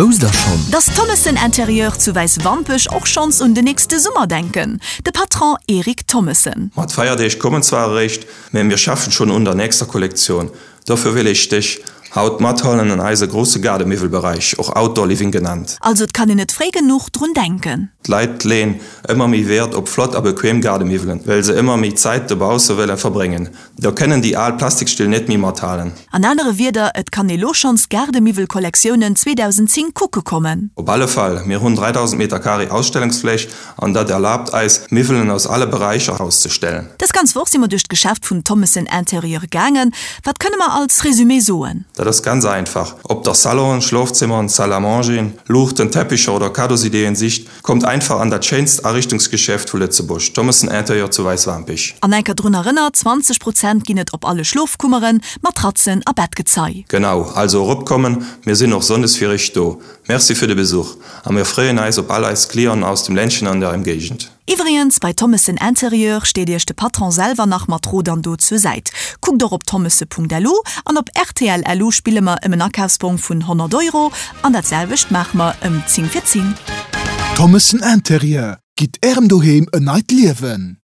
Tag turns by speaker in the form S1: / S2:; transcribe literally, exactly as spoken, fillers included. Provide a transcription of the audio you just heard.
S1: Wousst der schonn?
S2: Dass Thommessen Interieur zu Wäiswampech och schonns un de nächste Summer denken? De Patron Eric Thommessen.
S3: Ma d'Feierdeeg kommen zwar eréischt, mä mir schaffen schonn un der nächster Kollektioun. Dofir wëll ech dech haut mathuelen an eise grousse Gaardemiwwelberäich, och Outdoor Living genannt.
S2: Also et kann een net fréi genuch drun denken.
S3: D'Leit leeën ëmmer méi Wäert op flott a bequem Gaardemiwwelen, well se ëmmer méi Zäit dobausse wëlle verbréngen. Do kënnen déi al Plastikstill net méi mathalen.
S2: An anere Wierder, et kann ee lo schonns Gaardemiwwelkollektiounen zweedausend zéng kucke kommen.
S3: Op alle Fall, mir hunn dräidausend Meter Carré Ausstellungsfläch an dat erlaabt eis, Miwwelen aus alle Beräicher auszestellen.
S2: Dës ganz Woch si mer duerch d'Geschäft vun Thommessen Interieur gaangen. Wat kënne mer als Resumé soen?
S3: Dat ass ganz einfach. Ob der Salonen, Schlofzimmeren, Salle à mangeren, Luuchten, Teppicher oder Kadosideen sicht, kommt einfach an dat schéinst Ariichtungsgeschäft vu Lëtzebuerg, Thommessen Interieur zu Wäiswampich.
S2: An enker drun erënnert, zwanzeg Prozent ginn et op alle Schlofkummeren, Matratzen a Bettgezei.
S3: Genau, also eropkommen, mir sinn och sonndes fir iech do. Merci fir de Besuch a mir freeën eis op all eis Clienten aus dem Ländchen an der Emgéigend.
S2: Iwwregens, bei Thommessen Interieur steet iech de Patron selwer nach mat Rot an Dot zur Säit. Kuckt och op thommessen.lu an op rtl.lu spille mer ëm en Akafsbong vun honnert Euro an dat selwecht maache mer ëm zéng vir zéng.
S4: Thommessen Interieur, gitt Ärem Doheem en neit Liewen!